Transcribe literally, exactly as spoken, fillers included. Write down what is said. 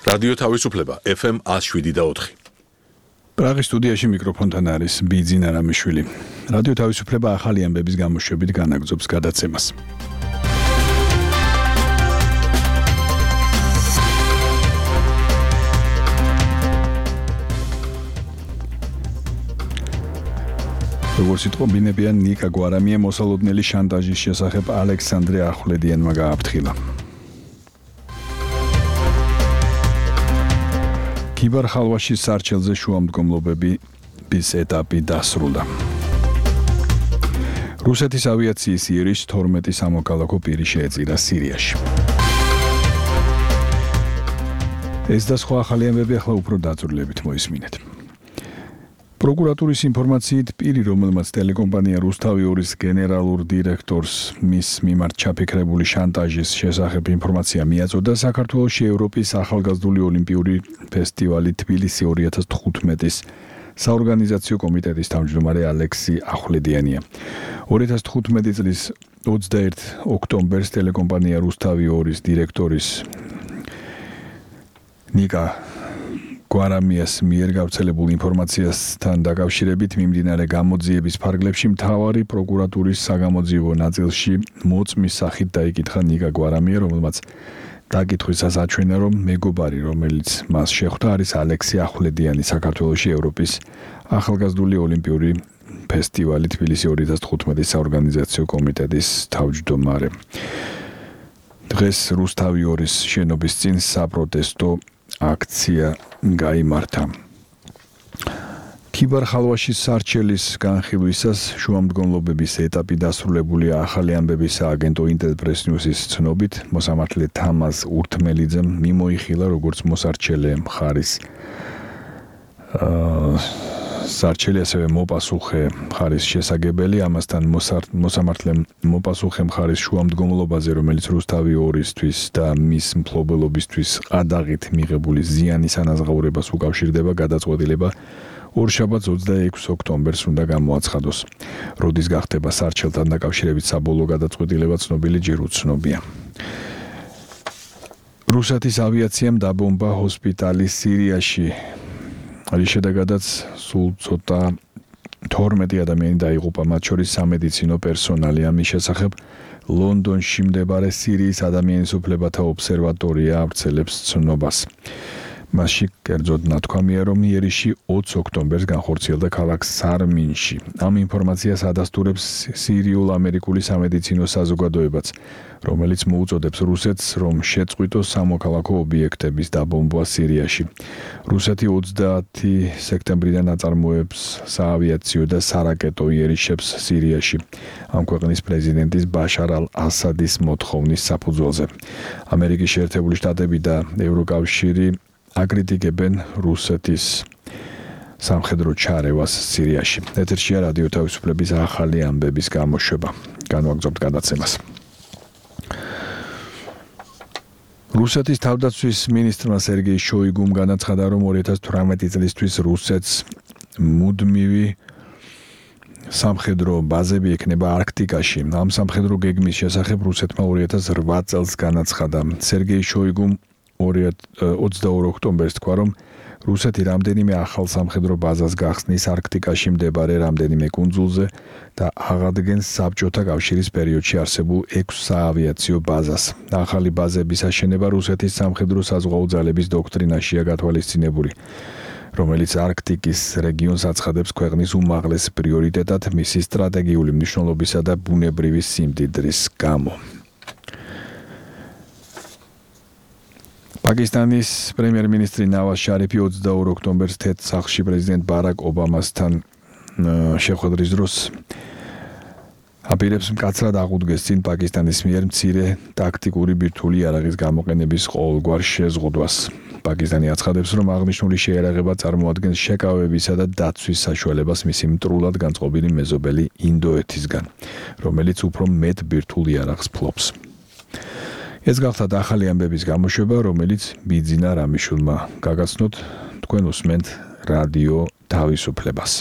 რადიო თავისუფლება ეფ ემ one oh seven და four. პრაღის სტუდიაში მიკროფონთან არის ბიძინა რამიშვილი. რადიო თავისუფლება ახალი ამბების გამოშვებით განაგრძობს გადაცემას. როგორც იტყობინებიან ნიკა გვარამია მოსალოდნელი შანტაჟის შესახებ ალექსანდრე ახვლედიანმა გააფრთხილა. ქიბარ-ხალვაშის სარჩელზე შუამდგომლობების ეტაპი დასრულდა. რუსეთის ავიაციის იერიშ თორმეტი სამოქალაქო პირი შეეწირა სირიაში. ეს და სხვა ახალი ამბები ახლა უფრო დაწვრილებით მოისმინეთ. პროკურატურის ინფორმაციით პირი, რომელმაც ტელეკომპანია რუსთავი-ორის გენერალურ დირექტორს მის მიმართ ჩაფიქრებული შანტაჟის შესახებ ინფორმაცია მიაწოდა, საქართველოში ევროპის ახალგაზრდული ოლიმპიური ფესტივალი თბილისი two thousand fifteen-ის საორგანიზაციო კომიტეტის თავმჯდომარე ალექსი ახვლედიანია. two thousand fifteen წლის twenty-first ოქტომბერს ტელეკომპანია რუსთავი-ორის დირექტორის ნიკა გვარამიას მიერ გავრცელებულ ინფორმაციასთან დაკავშირებით მიმდინარე გამოძიების ფარგლებში მთავარი პროკურატურის საგამოძიებო ნაწილში მოწმის სახით დაიკითხა ნიკა გვარამია, რომელმაც დაკითხვისას აჩვენა, რომ მეგობარი, რომელიც მას შეხვდა, არის ალექსი ახვლედიანი, საქართველოში ევროპის ახალგაზრდული ოლიმპიური ფესტივალი თბილისი two thousand fifteen-ის საორგანიზაციო კომიტეტის თავმჯდომარე. დღეს რუსთავი-ორის შენობის წინ საპროტესტო აქცია გაიმართა. ქიბარ-ხალვაშის სარჩელის განხილვისას შუამდგომლობების ეტაპი დასრულებულია. ახალი ამბების სააგენტო ინტერპრეს ნიუსის ცნობით, მოსამართლე თამაზ ურთმელიძემ მიმოიხილა, როგორც მოსარჩელე მხარის სარჩელი, ასევე მოპასუხე მხარის შესაგებელი. ამასთან მოსამართლემ მოპასუხე მხარის შუამდგომლობაზე, რომელიც რუსთავი-ორისთვის და მის მფლობელობისთვის ყადაღით მიღებული ზიანის ანაზღაურებას უკავშირდება, გადაწყვეტილება ორშაბათს twenty-six ოქტომბერს უნდა გამოაცხადოს. როდის გახდება სარჩელთან დაკავშირებით საბოლოო გადაწყვეტილება, ცნობილი ჯერ უცნობია. რუსეთის ავიაციამ დაბომბა ჰოსპიტალი სირიაში. არის შედეგადაც სულ ცოტა თორმეტი ადამიანი დაიღუპა, მათ შორის სამედიცინო პერსონალი. ამის შესახებ ლონდონში მდებარე სირიის ადამიანის უფლებათა ობსერვატორია ავრცელებს ცნობას. მასში კერძოდ ნათქვამია, რომ იერიში twenty ოქტომბერს განხორციელდა ქალაქ სარმინში. ამ ინფორმაციას ადასტურებს სირიულ-ამერიკული სამედიცინო საზოგადოებაც, რომელიც მოუწოდებს რუსეთს, რომ შეწყვიტოს სამოქალაქო ობიექტების დაბომბვა სირიაში. რუსეთი twenty სექტემბრიდან აწარმოებს საავიაციო და სარაკეტო იერიშებს სირიაში, ამ ქვეყნის პრეზიდენტის ბაშარ ალ-ასადის მოთხოვნის საფუძველზე. ამერიკის შეერთებული შტატები და ევროკავშირი აკრიტიკებენ რუსეთის სამხედრო ჩარევას სირიაში. ეთერშია რადიო თავისუფლების ახალი ამბების გამოშვება. განვაგრძობთ გადაცემას. რუსეთის თავდაცვის მინისტრმა სერგეი შოიგუმ განაცხადა, რომ two thousand eighteen წლისთვის რუსეთს მუდმივი სამხედრო ბაზები ექნება არქტიკაში. ამ სამხედრო გეგმის შესახებ რუსეთმა two thousand eight წელს განაცხადა. სერგეი შოიგუმ twenty-two ოქტომბერს თქვა, რომ რუსეთი რამდენიმე ახალ სამხედრო ბაზას გახსნის არქტიკაში მდებარე რამდენიმე კუნძულზე და აღადგენს საბჭოთა კავშირის პერიოდში არსებულ six საავიაციო ბაზას. ახალი ბაზების აშენება რუსეთის სამხედრო საზღვაო ძალების დოქტრინაშია გათვალისწინებული, რომელიც არქტიკის რეგიონს აცხადებს ქვეყნის უმაღლეს პრიორიტეტად მისი სტრატეგიული მნიშვნელობისა და ბუნებრივი სიმდიდრის გამო. პაკისტანის პრემიერ-მინისტრი ნავაზ შარიფი twenty-two ოქტომბერს თეთრ სახლში პრეზიდენტ ბარაკ ობამასთან შეხვედრის დროს აპირებს მკაცრად აღუდგეს წინ პაკისტანის მიერ მცირე ტაქტიკური ბირთვული იარაღის გამოყენების ყოველგვარ შეზღუდვას. პაკისტანი აცხადებს, რომ აღნიშნული შეიარაღება წარმოადგენს შეკავებისა და დაცვის საშუალებას მისი მტრულად განწყობილი მეზობელი ინდოეთისგან, რომელიც უფრო მეტ ბირთვულ იარაღს ფლობს. ეს გახდა ახალი ამბების გამოშვება, რომელიც ბიძინა რამიშვილმა გაგაცნოთ. თქვენ უსმენთ რადიო თავისუფლებას.